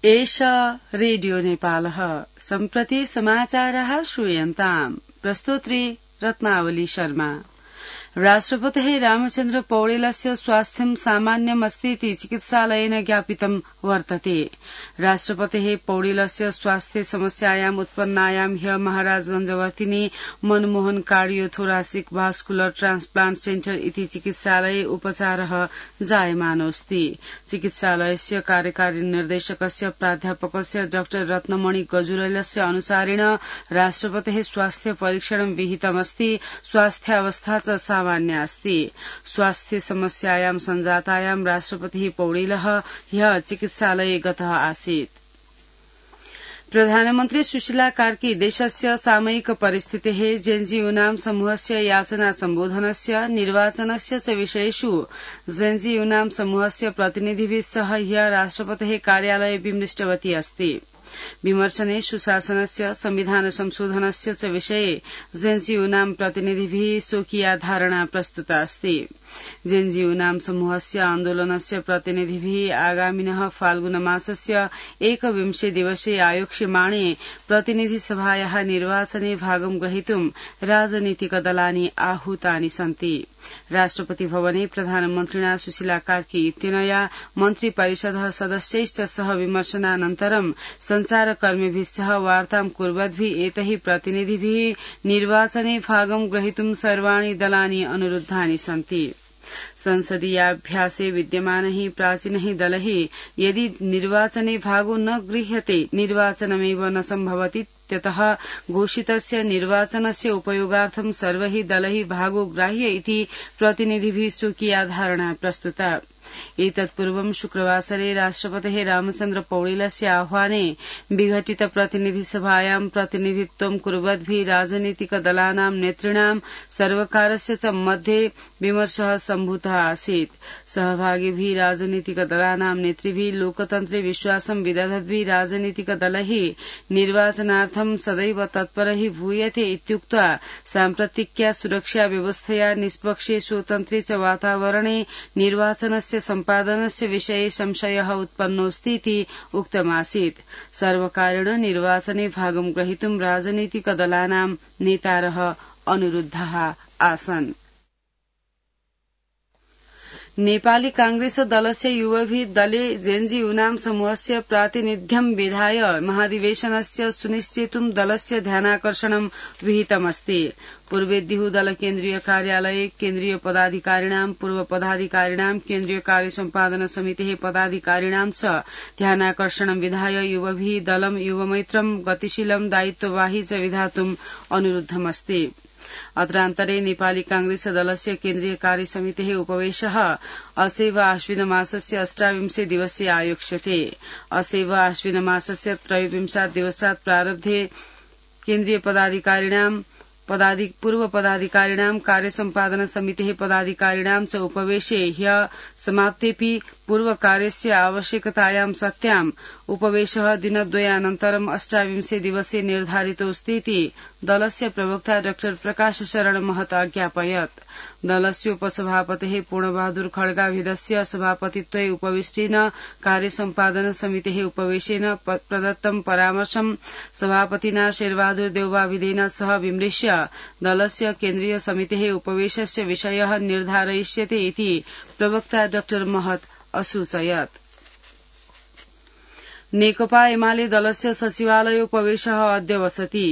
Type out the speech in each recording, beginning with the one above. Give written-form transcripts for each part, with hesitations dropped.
एषा रेडियो नेपालः सम्प्रति समाचारः श्रूयन्ताम् प्रस्तोत्री रत्नावली शर्मा। राष्ट्रपतिः रामचन्द्र पौडेलस्य स्वास्थ्यं सामान्यमस्तीति चिकित्सालयेन ज्ञापितं वर्तते। राष्ट्रपतिः पौडेलस्य स्वास्थ्य समस्यायाम् उत्पन्नायां ह्य महाराजगंजवर्तिनी मनमोहन कार्डियोथोरासिक भास्कुलर ट्रान्सप्लान्ट सेन्टर इति चिकित्सालये उपचारः जायमानोऽस्ति। चिकित्सालयस्य कार्यकारी निर्देशकस्य प्राध्यापकस्य डाक्टर रत्नमणि गजुरेलस्य अनुसारेण राष्ट्रपतिः स्वास्थ्य परीक्षणं विहितमस्ति। स्वास्थ्यावस्था च सामान्य अस्ति। स्वास्थ्य समस्यायां सञ्जातायां राष्ट्रपतिः पौडेलः ह्यः चिकित्सालये गतः आसीत्। प्रधानमन्त्री सुशीला कार्की देशस्य सामयिक परिस्थितेः जेएनजी समूहस्य याचना सम्बोधनस्य निर्वाचनस्य च विषयेषु जेएनजी समूहस्य प्रतिनिधिभिः सह ह्यः राष्ट्रपतेः कार्यालये विमृष्टवती अस्ति। विमर्शने सुशासनस्य संविधान संशोधनस्य च विषये जेएनजी प्रतिनिधिभिः स्वकीया धारणा प्रस्तुता अस्ति। जेएनजी समूहस्य आन्दोलनस्य प्रतिनिधिभिः आगामिनः फाल्गुनमासस्य 21 दिवसे आयोक्ष्यमाणे प्रतिनिधिसभायाः निर्वाचने भागं ग्रहीतुं राजनीतिकदलानि आहूतानि सन्ति। राष्ट्रपति भवने प्रधानमन्त्रिणा सुशीला कार्की इत्यनया मन्त्री परिषदः सदस्यैश्च सह विमर्शनानन्तरं संचारकर्मिभिः सह वार्तां कुर्वद्भिः एतैः प्रतिनिधिभिः निर्वाचने भागं ग्रहीतुं सर्वाणि दलानि अनुरुद्धानि सन्ति। संसदीयाभ्यासे विद्यमानैः प्राचीनैः दलैः यदि निर्वाचने भागो न गृह्यते निर्वाचनमेव न सम्भवति त्यतः घोषितस्य निर्वाचनस्य उपयोगार्थं सर्वैः दलैः भागो ग्राह्य इति प्रतिनिधिभिः स्वकीया धारणा प्रस्तुता। एतत्पूर्वं शुक्रवासरे राष्ट्रपतेः रामचन्द्र पौडेलस्य आह्वाने विघटित प्रतिनिधिसभायां प्रतिनिधित्वं कुर्वद्भिः राजनीतिकदलानां नेतॄणां सर्वकारस्य च मध्ये विमर्शः सम्भूतः आसीत्। सहभागिभिः राजनीतिकदलानां नेतृभिः लोकतन्त्रे विश्वासं विदधद्भिः राजनीतिकदलैः निर्वाचनार्थं सदैव तत्परैः भूयते इत्युक्त्वा साम्प्रतिक्या सुरक्षा व्यवस्थया निष्पक्षे स्वतन्त्रे च वातावरणे निर्वाचनस्य सम्पादनस्य विषये संशयः उत्पन्नोऽस्ति इति उक्तमासीत्। सर्वकारेण निर्वाचने भागं ग्रहीतुं राजनीतिकदलानां नेतारः अनुरुद्धाः आसन्। नेपाली कांग्रेस दलस्य युवभिः दले जेएनजी समूहस्य प्रातिनिध्यं विधाय महाधिवेशनस्य सुनिश्चेतुं दलस्य ध्यानाकर्षणं विहितमस्ति। पूर्वेद्युः दल केन्द्रीय कार्यालये केन्द्रीय पदाधिकारिणां पूर्व पदाधिकारिणां केन्द्रीय कार्य सम्पादन समितेः पदाधिकारिणां च ध्यानाकर्षणं विधाय युवभिः दलं युवमैत्रं गतिशीलं दायित्ववाही च विधातुम् अनुरुद्धमस्ति। अत्रान्तरे नेपाली कांग्रेस दलस्य केन्द्रीय कार्य समितेः उपवेशः असैव आश्विनमासस्य 28 दिवसे आयोक्ष्यते। असैव आश्विनमासस्य 23 दिवसात् प्रारब्धे केन्द्रीय पदाधिकारिणां पूर्व पदाधिकारिणां कार्य सम्पादन समितेः पदाधिकारिणां च उपवेशे ह्यः समाप्तेऽपि पूर्व कार्यस्य आवश्यकतायां सत्याम् उपवेशः दिनद्वयानन्तरं 28 दिवसे निर्धारितोऽस्ति इति दलस्य प्रवक्ता डॉ प्रकाश शरण महत अज्ञापयत्। दलस्य उपसभापतेः पूर्णबहादुर खड्गाभिधस्य सभापतित्वे उपविष्टेन कार्य सम्पादन समितेः उपवेशेन प्रदत्तं परामर्शं सभापतिना शेरबहादुर देउवाभिधेन सह विमृश्य दलस्य केन्द्रीय समितेः उपवेशस्य विषयः निर्धारयिष्यते इति प्रवक्ता डॉ महत असूचयत्। नेकपा एमाले दलस्य सचिवालयोपवेशः अद्य वसति।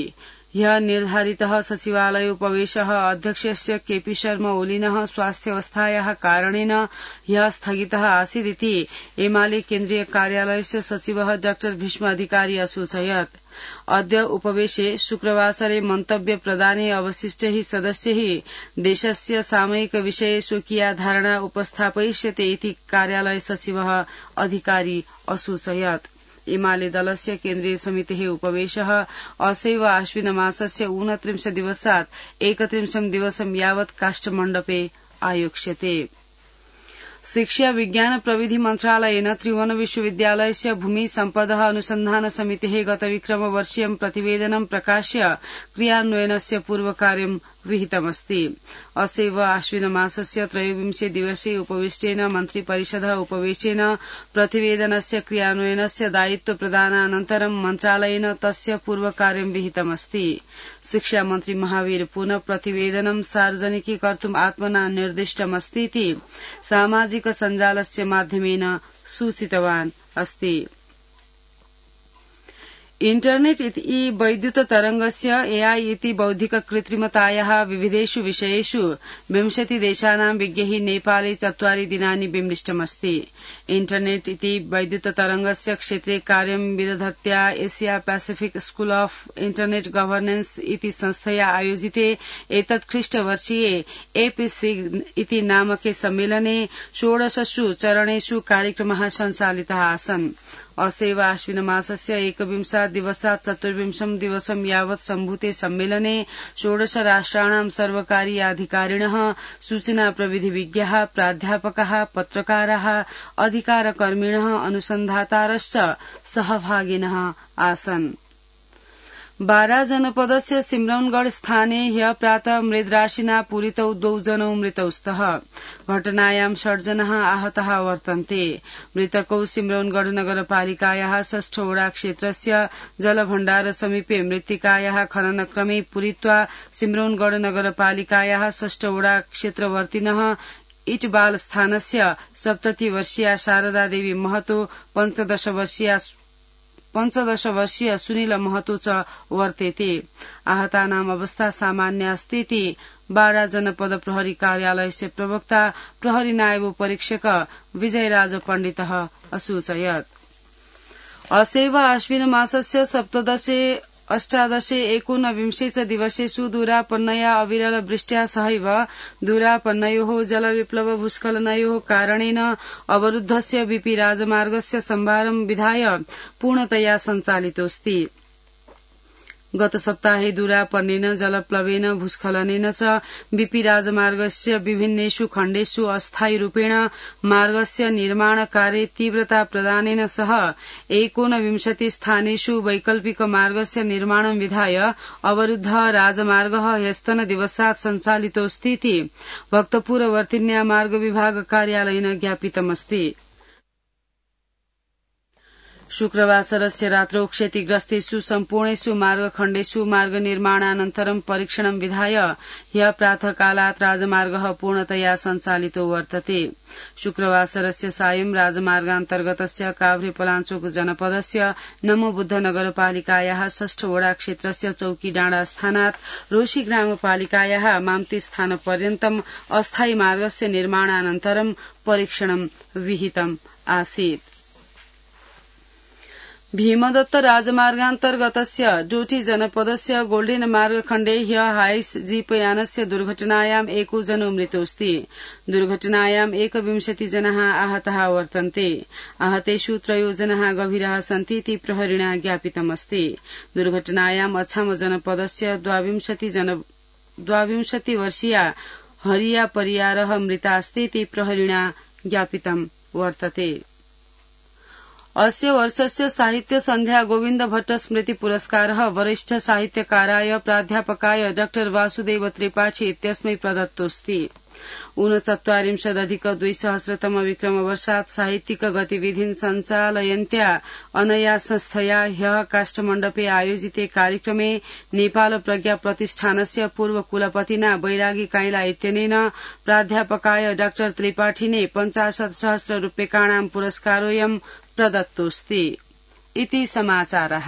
ह्यः निर्धारितः सचिवालयोपवेशः अध्यक्षस्य केपी शर्मा ओलिनः स्वास्थ्यावस्थायाः कारणेन ह्यः स्थगितः आसीदिति एमाले केन्द्रीय कार्यालयस्य सचिवः डॉ भीष्म अधिकारी असूचयत्। अद्य उपवेशे शुक्रवासरे मन्तव्य प्रदाने अवशिष्टैः सदस्यैः देशस्य सामयिक विषये स्वकीया धारणा उपस्थापयिष्यते इति कार्यालय सचिवः अधिकारी असूचयत्। एमाले दलस्य केन्द्रीय समितेः उपवेशः असैव आश्विनमासस्य 29 दिवसात् 31 दिवसं यावत् काष्ठमण्डपे आयोक्ष्यते। शिक्षा विज्ञान प्रविधि मन्त्रालयेन त्रिभुवन विश्वविद्यालयस्य भूमि सम्पदः अनुसन्धान समितेः गतविक्रमवर्षीयं प्रतिवेदनं प्रकाश्य क्रियान्वयनस्य पूर्वकार्यं विहितमस्ति। अस्यैव आश्विनमासस्य 23 दिवसे उपविष्टेन मन्त्रिपरिषदः उपवेशेन प्रतिवेदनस्य क्रियान्वयनस्य दायित्व प्रदानानन्तरं मन्त्रालयेन तस्य पूर्वकार्यं विहितमस्ति। शिक्षामन्त्री महावीर पुनः प्रतिवेदनं सार्वजनिकीकर्तुम् आत्मना निर्दिष्टमस्तीति सामाजिक सञ्जालस्य माध्यमेन सूचितवान् अस्ति। इन्टरनेट् इति वैद्युततरङ्गस्य एआई इति बौद्धिक कृत्रिमतायाः विविधेषु विषयेषु 20 देशानां विज्ञैः नेपाले 4 दिनानि विमृष्टमस्ति। इन्टरनेट् इति वैद्युततरङ्गस्य क्षेत्रे कार्यं विदधत्या Asia Pacific school of internet governance इति संस्थया आयोजिते एतत् ख्रीष्टवर्षीये एपीसी इति नामके सम्मेलने 16 चरणेषु कार्यक्रमः सञ्चालितः आसन्। अस्यैव आश्विनमासस्य 21 दिवसात् 24 दिवसं यावत् सम्भूते सम्मेलने 16 राष्ट्राणां सर्वकारीय अधिकारिणः, सूचना प्रविधिविज्ञाः, प्राध्यापकाः, पत्रकाराः, अधिकारकर्मिणः, अनुसन्धातारश्च सहभागिनः आसन्। बारा जनपदस्य सिमरौनगढ़ स्थाने ह्यः प्रातः मृद्राशिना पूरितौ 2 जनौ मृतौ स्तः। घटनायां 6 जनाः आहताः वर्तन्ते। मृतकौ सिमरौनगढ़ नगरपालिकायाः 6 वडा क्षेत्रस्य जलभण्डार समीपे मृत्तिकायाः खननक्रमे पूरित्वा सिमरौनगढ़ नगरपालिकायाः 6 वडा क्षेत्रवर्तिनः इटबाल स्थानस्य 70 वर्षीया शारदा देवी महतो 15 वर्षीय सुनील महतो च वर्तेते। आहतानाम् अवस्था सामान्य अस्तीति बारा जनपद प्रहरी कार्यालयस्य प्रवक्ता प्रहरी नायब परीक्षक विजयराज पण्डितः असूचयत्। अस्यैव आश्विनमासस्य 17, 18, 19 च दिवसेषु दूरापन्नया अविरल वृष्ट्या सहैव दूरापन्नयोः जलविप्लव भूस्खलनयोः कारणेन अवरुद्धस्य बीपी राजमार्गस्य सम्भारं विधाय पूर्णतया सञ्चालितोऽस्ति। गत सप्ताहे दूरापन्नेन जलप्लवेन भूस्खलनेन च बीपी राजमार्गस्य विभिन्नेषु खण्डेषु अस्थायी रूपेण मार्गस्य निर्माण कार्ये तीव्रता प्रदानेन सह 29 स्थानेषु वैकल्पिक मार्गस्य निर्माणं विधाय अवरुद्ध राजमार्गः ह्यस्तन दिवसात् सञ्चालितोऽस्तीति भक्तपुरवर्तिन्या मार्ग विभाग कार्यालयेन ज्ञापितमस्ति। शुक्रवासरस्य रात्रौ क्षतिग्रस्तेषु सम्पूर्णेषु मार्गखण्डेषु मार्ग निर्माणानन्तरं परीक्षणं विधाय ह्यः प्रातःकालात् राजमार्गः पूर्णतया सञ्चालितो वर्तते। शुक्रवासरस्य सायं राजमार्गान्तर्गतस्य काभ्रेपलाञ्चोक जनपदस्य नमोबुद्ध नगरपालिकायाः 6 वडा क्षेत्रस्य चौकीडाँडा स्थानात् रोशी ग्रामपालिकायाः माम्ती स्थानपर्यन्तम् अस्थायी मार्गस्य निर्माणानन्तरं परीक्षणं विहितम् आसीत्। भीमदत्त राजमार्गान्तर्गतस्य डोटी जनपदस्य गोल्डेन मार्गखण्डे ह्यः हाइस जीपयानस्य दुर्घटनायाम् 1 जनो मृतोऽस्ति। दुर्घटनायां 21 जनाः आहताः वर्तन्ते। आहतेषु 3 जनाः गभीराः सन्ति इति प्रहरिणा ज्ञापितमस्ति। दुर्घटनायां अछाम जनपदस्य 22 वर्षीया हरिया परियारः मृतास्ति इति प्रहरिणा ज्ञापितं वर्तते। अस्य वर्षस्य साहित्य सन्ध्या गोविन्द भट्ट स्मृति पुरस्कारः वरिष्ठ साहित्यकाराय प्राध्यापकाय डॉ वासुदेव त्रिपाठी इत्यस्मै प्रदत्तोऽस्ति। 39,200 विक्रमवर्षात् साहित्यिक गतिविधिन् सञ्चालयन्त्या अनया संस्थया ह्यः काष्ठमण्डपे आयोजिते कार्यक्रमे नेपाल प्रज्ञा प्रतिष्ठानस्य पूर्व कुलपतिना बैरागी काइला इत्यनेन प्राध्यापकाय डॉ त्रिपाठिने 50,000 रूप्यकाणां पुरस्कारोऽयं प्रदत्तोऽस्ति इति समाचारः।